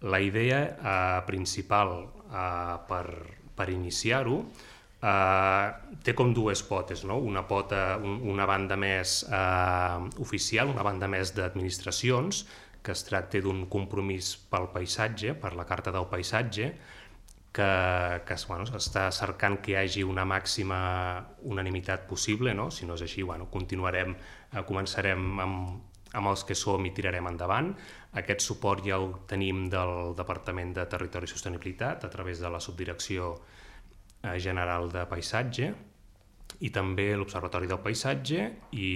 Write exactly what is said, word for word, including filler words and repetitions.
La idea eh, principal eh, per, per iniciar-ho eh, té com dues potes, no? Una pota, un, una banda més eh, oficial, una banda més d'administracions, que es tracta d'un compromís pel paisatge, per la Carta del Paisatge, que, que bueno, està cercant que hi hagi una màxima unanimitat possible, no? Si no és així, bueno, continuarem, eh, començarem amb, amb els que som i tirarem endavant. Aquest suport ja el tenim del Departament de Territori i Sostenibilitat a través de la Subdirecció General de Paisatge i també l'Observatori del Paisatge i